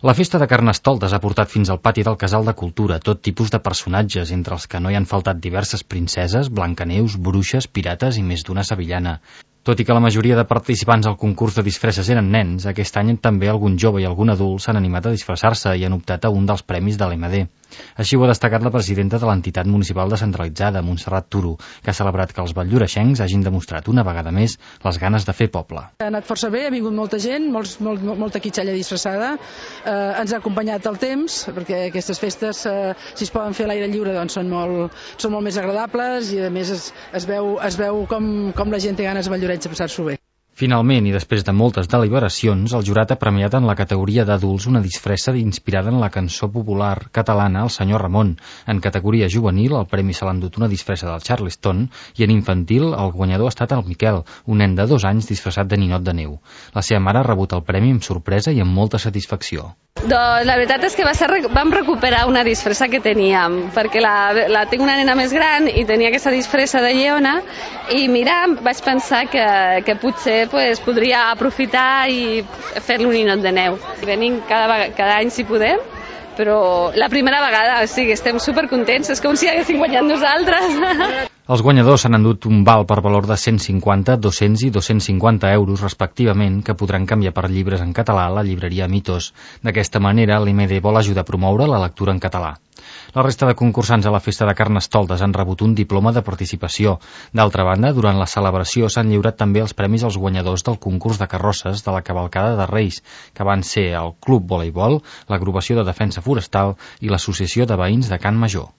La festa de Carnestoltes ha portat fins al pati del Casal de Cultura tot tipus de personatges, entre els que no hi han faltat diverses princeses, Blancaneus, bruixes, pirates i més d'una sevillana. Tot i que la majoria de participants al concurs de disfresses eren nens, aquest any també algun jove i algun adult s'han animat a disfressar-se i han optat a un dels premis de l'MD. Així ho ha destacat la presidenta de l'entitat municipal descentralitzada, Montserrat Turo, que ha celebrat que els valldoreixencs hagin demostrat una vegada més les ganes de fer poble. Ha anat força bé, ha vingut molta gent, molta quitxalla disfressada, ens ha acompanyat el temps, perquè aquestes festes, si es poden fer a l'aire lliure, doncs són molt més agradables i a més es veu com la gent té ganes a Valldoreix de passar-s'ho bé. Finalment, i després de moltes deliberacions, el jurat ha premiat en la categoria d'adults una disfressa inspirada en la cançó popular catalana El senyor Ramon. En categoria juvenil, el premi se l'ha endut una disfressa del Charleston i en infantil el guanyador ha estat el Miquel, un nen de 2 anys disfressat de ninot de neu. La seva mare ha rebut el premi amb sorpresa i amb molta satisfacció. Doncs la veritat és que vam recuperar una disfressa que teníem, perquè tinc una nena més gran i tenia aquesta disfressa de lleona i mira, vaig pensar que potser podria aprofitar i fer-li un ninot de neu. Venim cada any si podem, però la primera vegada, o sigui, estem supercontents, és com si haguéssim guanyat nosaltres. Els guanyadors s'han endut un val per valor de 150, 200 i 250 euros respectivament, que podran canviar per llibres en català a la llibreria Mitos. D'aquesta manera, l'MD vol ajudar a promoure la lectura en català. La resta de concursants a la festa de Carnestoltes han rebut un diploma de participació. D'altra banda, durant la celebració s'han lliurat també els premis als guanyadors del concurs de carrosses de la cavalcada de Reis, que van ser el Club Voleibol, l'Agrupació de Defensa Forestal i l'Associació de Veïns de Can Major.